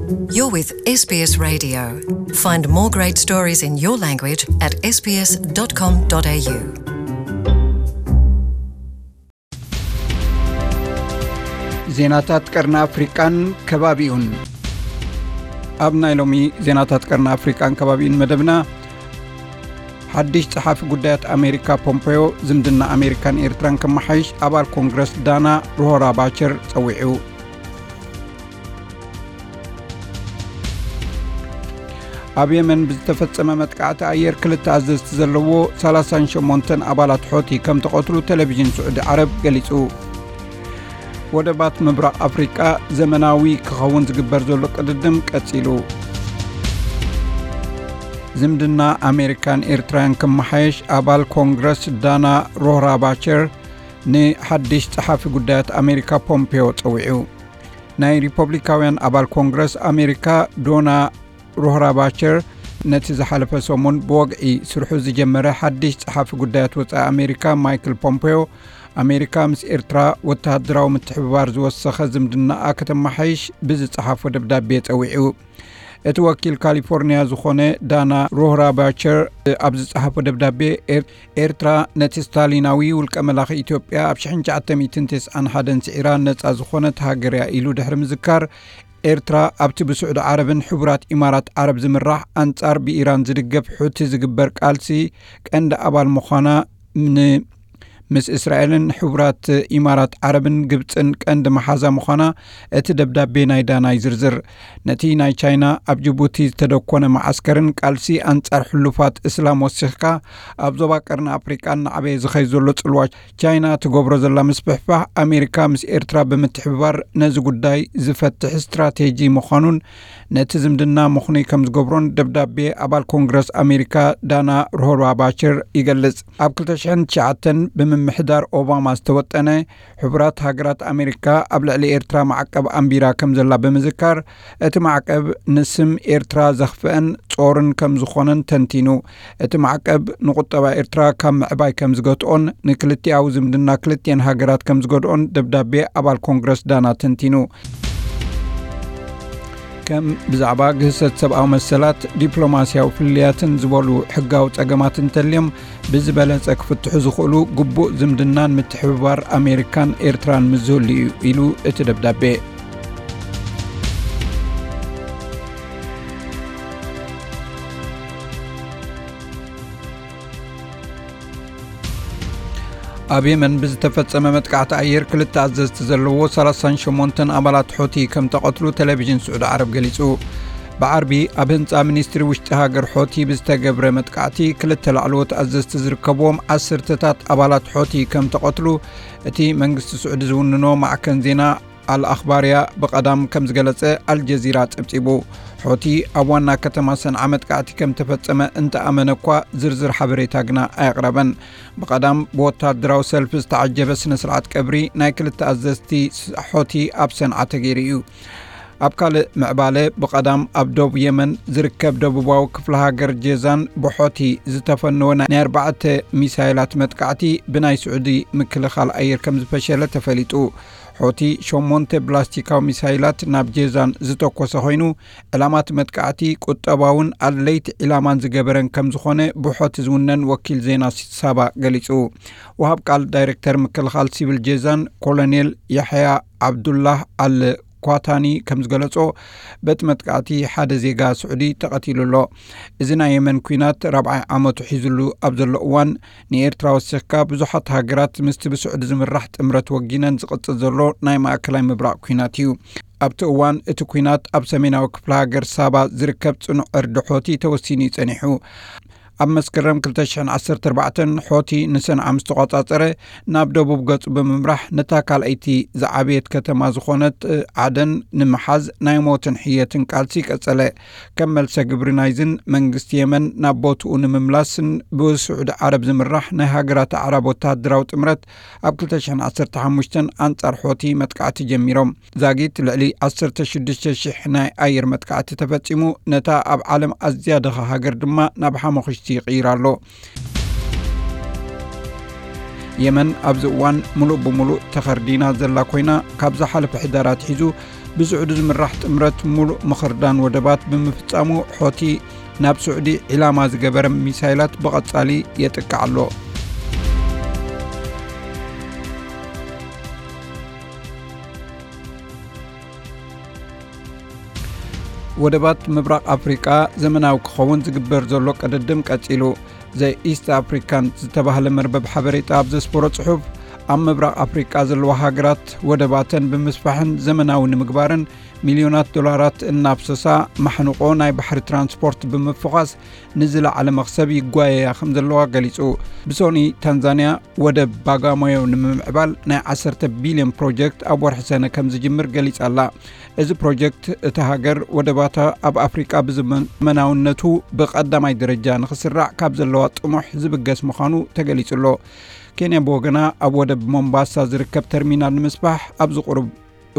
You're with S B S Radio. Find more great stories in your language at S B S dot com dot A U. ዜናታት ቀርኒ ኣፍሪቃን ከባቢኡን። ኣብ ናይ ሎሚ ዜናታት ቀርኒ ኣፍሪቃን ከባቢኡን መደብና፣ ሓድሽ ጸሓፊ ጉዳያት ኣሜሪካ ፖምፖዮ ዝምድና ኣሜሪካን ኤርትራን ከመሓይሽ ኣባል ኮንግረስ ዳና ሮሆራ ባቸር ጸዊዑ። ኣብ የመን ብዝተፈጸመ መጥቃዕቲ ኣየር ክልተ ኣዘዝቲ ዘለዎ ሰላሳን ሸሞንተን ኣባላት ሖቲ ከም ተቐትሉ ቴሌቪዥን ስዑዲ ዓረብ ገሊጹ። ወደባት ምብራቕ ኣፍሪቃ ዘመናዊ ክኸውን ዝግበር ዘሎ ቅድድም ቀጺሉ። ዝምድና ኣሜሪካን ኤርትራን ክመሓየሽ ኣባል ኮንግረስ ዳና ሮህራ ባቸር ንሓድሽ ጸሓፊ ጉዳያት ኣሜሪካ ፖምፔዮ ጸዊዑ። ናይ ሪፐብሊካውያን ኣባል ኮንግረስ ኣሜሪካ ዶና ሮህራ ባቸር ነቲ ዝሓለፈ ሰሙን ብወግዒ ስርሑ ዝጀመረ ሓድሽ ጸሓፊ ጉዳያት ወጻኢ ኣሜሪካ ማይክል ፖምፔዮ፣ ኣሜሪካ ምስ ኤርትራ ወተሃደራዊ ምትሕብባር ዝወሰኸ ዝምድናኣ ከተመሓይሽ ብዝጸሓፎ ደብዳቤ ጸዊዑ። እቲ ወኪል ካሊፎርኒያ ዝኾነ ዳና ሮህራ ባቸር ኣብ ዝጸሓፎ ደብዳቤ፣ ኤር-፣ ኤርትራ ነቲ ስታሊናዊ ውልቀ መላኺ ኢትዮጵያ ኣብ ሽሕን ትሽዓተ ሚእትን ተስዓን ሓደን ስዒራ ነጻ ዝኾነት ሃገር እያ ኢሉ ድሕሪ ምዝካር፣ ኤርትራ ኣብቲ ብስዑዲ ዓረብን ሕቡራት ኢማራት ዓረብ ዝምራሕ ኣንጻር ብኢራን ዝድገፍ ሑቲ ዝግበር ቃልሲ ቀንዲ ኣባል ምዃና፣ ን-፣ ምስ እስራኤልን ሕቡራት ኢማራት ዓረብን ግብጽን ቀንዲ መሓዛ ምዃና እቲ ደብዳቤ ናይ ዳና ይዝርዝር። ነቲ ናይ ቻይና ኣብ ጅቡቲ ዝተደኮነ መዓስከርን ቃልሲ ኣንጻር ሕሉፋት እስላም ወሲኽካ፣ ኣብ ዞባ ቀርኒ ኣፍሪቃ እናዓበየ ዝኸይድ ዘሎ ጽልዋ ቻይና ትገብሮ ዘላ ምስፍሕፋሕ፣ ኣሜሪካ ምስ ኤርትራ ብምትሕብባር ነዚ ጉዳይ ዝፈትሕ ስትራቴጂ ምዃኑን ነቲ ዝምድና ምኽኑይ ከም ዝገብሮን ደብዳቤ ኣባል ኮንግረስ ኣሜሪካ ዳና ሮሆራ ባቸር ይገልጽ። ኣብ ክልተ ሽሕን ትሽዓተን ብምምሕዳር ኦባማ ዝተወጠነ ሕቡራት ሃገራት ኣሜሪካ ኣብ ልዕሊ ኤርትራ ማዕቀብ ኣንቢራ ከም ዘላ ብምዝካር፣ እቲ ማዕቀብ ንስም ኤርትራ ዘኽፍአን ጾርን ከም ዝኾነን ተንቲኑ። እቲ ማዕቀብ ንቁጠባ ኤርትራ ካብ ምዕባይ ከም ዝገትኦን ንክልቲኣዊ ዝምድና ክልቲኤን ሃገራት ከም ዝገድኦን ደብዳቤ ኣባል ኮንግረስ ዳና ተንቲኑ። ከም ብዛዕባ ግህሰት ሰብኣዊ መሰላት፣ ዲፕሎማስያዊ ፍልልያትን ዝበሉ ሕጋዊ ጸገማት እንተልዮም ብዝበለጸ ክፍትሑ ዝኽእሉ ግቡእ ዝምድናን ምትሕብባር ኣሜሪካን ኤርትራን ምስ ዝህሉ እዩ ኢሉ እቲ ደብዳቤ። ኣብ የመን ብዝተፈጸመ መጥቃዕቲ ኣየር ክልተ ኣዘዝቲ ዘለዎ ሰላሳን ሸሞንተን ኣባላት ሖቲ ከም ተቐትሉ ቴሌቪዥን ስዑዲ ዓረብ ገሊጹ። ብዓርቢ ኣብ ህንጻ ሚኒስትሪ ውሽጢ ሃገር ሖቲ ብዝተገብረ መጥቃዕቲ ክልተ ላዕለዎት ኣዘዝቲ ዝርከብዎም ዓሰርተታት ኣባላት ሖቲ ከም ተቐትሉ እቲ መንግስቲ ስዑዲ ዝውንኖ ማዕከን ዜና ኣልኣኽባርያ ብቐዳም ከም ዝገለጸ ኣልጀዚራ ጸብጺቡ። ሖቲ ኣብ ዋና ከተማ ሰንዓ መጥቃዕቲ ከም ተፈጸመ እንተኣመነ እኳ ዝርዝር ሓበሬታ ግና ኣየቕረበን። ብቐዳም ብወታደራዊ ሰልፊ ዝተዓጀበ ስነ ስርዓት ቀብሪ ናይ ክልተ ኣዘዝቲ ስ-፣ ሖቲ ኣብ ሰንዓ ተገይሩ እዩ። ኣብ ካልእ ምዕባለ ብቐዳም ኣብ ዶብ የመን ዝርከብ ደቡባዊ ክፍለ ሃገር ጄዛን ብሖቲ ዝተፈነወ ናይ ኣርባዕተ ሚሳይላት መጥቃዕቲ ብናይ ስዑዲ ምክልኻል ኣየር ከም ዝፈሸለ ተፈሊጡ። ሖቲ ሸሞንተ ብላስቲካዊ ሚሳይላት ናብ ጄዛን ዝተኮሰ ኮይኑ፣ ዕላማት መጥቃዕቲ ቁጠባውን ኣድለይቲ ዕላማን ዝገበረን ከም ዝኾነ ብሖቲ ዝውነን ወኪል ዜና ሳባ ገሊጹ። ወሃብ ቃል ዳይሬክተር ምክልኻል ሲቪል ጄዛን ኮሎኔል ያሕያ ዓብዱላህ ኣል ኳታኒ ከም ዝገለጾ፣ በቲ መጥቃዕቲ ሓደ ዜጋ ስዑዲ ተቐቲሉ ኣሎ። እዚ ናይ የመን ኲናት ራብዓይ ዓመቱ ሒዙሉ ኣብ ዘሎ እዋን፣ ንኤርትራ ወሲኽካ ብዙሓት ሃገራት ምስቲ ብስዑዲ ዝምራሕ ጥምረት ወጊነን ዝቕጽል ዘሎ ናይ ማእከላይ ምብራቕ ኲናት እዩ። ኣብቲ እዋን እቲ ኲናት ኣብ ሰሜናዊ ክፍለ ሃገር ሳባ ዝርከብ ጽኑዕ ዕርዲ ሖቲ ተወሲኑ እዩ ጸኒሑ። ኣብ መስከረም ክልተ ሽሕን ዓሰርተ ኣርባዕተን ሖቲ ንሰንዓ ምስ ተቖጻጸረ፣ ናብ ደቡብ ገጹ ብምምራሕ ነታ ካልኣይቲ ዝዓበየት ከተማ ዝኾነት ዓደን ንምሓዝ ናይ ሞትን ሕየትን ቃልሲ ቀጸለ። ከም መልሰ ግብሪ ናይዝን መንግስቲ የመን ናብ ቦትኡ ንምምላስን ብስዑዲ ዓረብ ዝምራሕ ናይ ሃገራት ኣዕራብ ወተሃደራዊ ጥምረት ኣብ ክልተ ሽሕን ዓሰርተ ሓሙሽተን ኣንጻር ሖቲ መጥቃዕቲ ጀሚሮም። ዛጊት ልዕሊ ዓሰርተ ሽዱሽተ ሽሕ ናይ ኣየር መጥቃዕቲ ተፈጺሙ፣ ነታ ኣብ ዓለም ኣዝያ ድኻ ሃገር ድማ ናብ ሓሙኽሽቲ ይቕይር ኣሎ። የመን ኣብዚ እዋን ምሉእ ብምሉእ ተኸርዲና ዘላ ኮይና፣ ካብ ዝሓለፈ ሕዳር ኣትሒዙ ብስዑዲ ዝምራሕ ጥምረት ሙሉእ ምኽርዳን ወደባት ብምፍጻሙ፣ ሖቲ ናብ ስዑዲ ዒላማ ዝገበረ ሚሳይላት ብቐጻሊ የጥቅዕ ኣሎ። ወደባት ምብራቕ ኣፍሪቃ ዘመናዊ ክኸውን ዝግበር ዘሎ ቅድድም ቀጺሉ። ዘ ኢስት ኣፍሪካን ዝተባህለ መርበብ ሓበሬታ ኣብ ዘስፈሮ ጽሑፍ፣ ኣብ ምብራቕ ኣፍሪቃ ዘለዋ ሃገራት ወደባተን ብምስፋሕን ዘመናዊ ንምግባርን ሚልዮናት ዶላራት እናፍሰሳ፣ ማሕንቆ ናይ ባሕሪ ትራንስፖርት ብምፍዃስ ንዝለዓለ መኽሰብ ይጓየያ ከም ዘለዋ ገሊጹ። ብሶኒ ታንዛንያ ወደብ ባጋሞዮ ንምምዕባል ናይ ዓሰርተ ቢልዮን ፕሮጀክት ኣብ ወርሒ ሰነ ከም ዝጅምር ገሊጻ ኣላ። እዚ ፕሮጀክት እታ ሃገር ወደባታ ኣብ ኣፍሪቃ ብዘመናውነቱ ብቐዳማይ ደረጃ ንኽስራዕ ካብ ዘለዋ ጥሙሕ ዝብገስ ምዃኑ ተገሊጹ ኣሎ። ኬንያ ብወገና ኣብ ወደብ ሞምባሳ ዝርከብ ተርሚናል ንምስፋሕ ኣብዚ ቁሩብ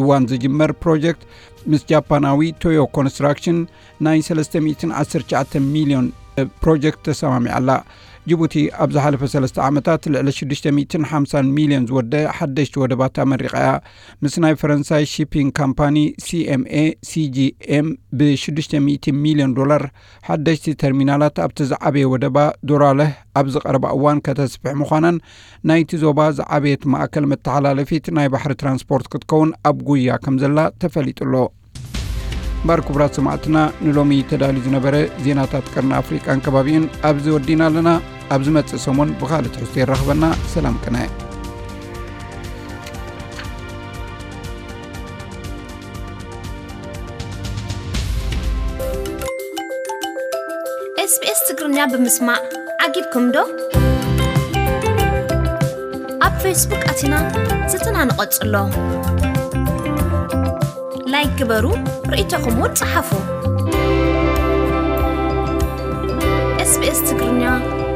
እዋን ዝጅመር ፕሮጀክት ምስ ጃፓናዊ ቶዮ ኮንስትራክሽን ናይ ሰለስተ ሚእትን ዓሰርተ ትሽዓተ ሚልዮን ፕሮጀክት ተሰማሚዓ ኣላ። ጅቡቲ ኣብ ዝሓለፈ ሰለስተ ዓመታት ልዕሊ ሽዱሽተ ሚእትን ሓምሳን ሚልዮን ዝወደ ሓደሽቲ ወደባት ኣመሪቓ እያ። ምስ ናይ ፈረንሳይ ሺፒንግ ካምፓኒ ሲኤምኤ ሲጂኤም ብ ሽዱሽተ ሚእቲ ሚልዮን ዶላር ሓደሽቲ ተርሚናላት ኣብቲ ዝዓበየ ወደባ ዶራለህ ኣብዚ ቀረባ እዋን ከተስፍሕ ምዃናን ናይቲ ዞባ ዝዓበየት ማእከል መተሓላለፊት ናይ ባሕሪ ትራንስፖርት ክትከውን ኣብ ጉያ ከም ዘላ ተፈሊጡ ኣሎ። እምበኣር ክቡራት ሰማዕትና፣ ንሎሚ ተዳልዩ ዝነበረ ዜናታት ቀርኒ ኣፍሪቃን ከባቢኡን ኣብዚ ወዲና ኣለና። ኣብ ዝመጽእ ሰሙን ብኻልእ ትሕዝቶ የራኽበና። ሰላም ቅነ። ኤስቢኤስ ትግርኛ ብምስማዕ ዓጊብኩም ዶ? ኣብ ፌስቡክ ኣቲና ዝትና ንቐጽሎ። ላይክ ግበሩ፣ ርእይቶኹም እውን ጸሓፉ። ኤስቢኤስ ትግርኛ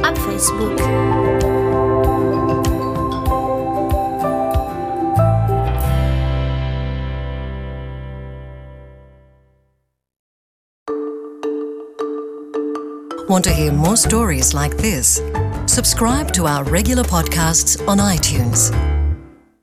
ኣብ ፌስቡክ። Want to hear more stories like this? Subscribe to our regular podcasts on iTunes.